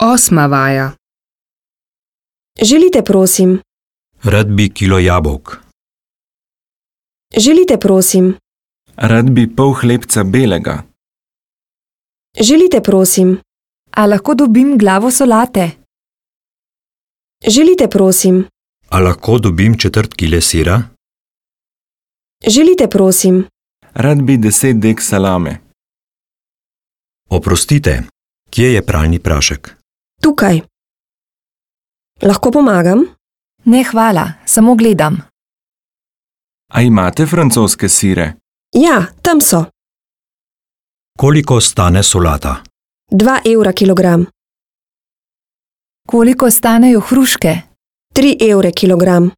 8. vaja. Želite, prosim? Rad bi kilo jabolk. Želite, prosim? Rad bi pol hlebca belega. Želite, prosim? A lahko dobim glavo solate? Želite, prosim? A lahko dobim četrt kile sira? Želite, prosim? Rad bi 10 dek salame. Oprostite, kje je pralni prašek? Tukaj. Lahko pomagam? Ne, hvala, samo gledam. A imate francoske sire? Ja, tam so. Koliko stane solata? 2 evra kilogram. Koliko stanejo hruške? 3 evre kilogram.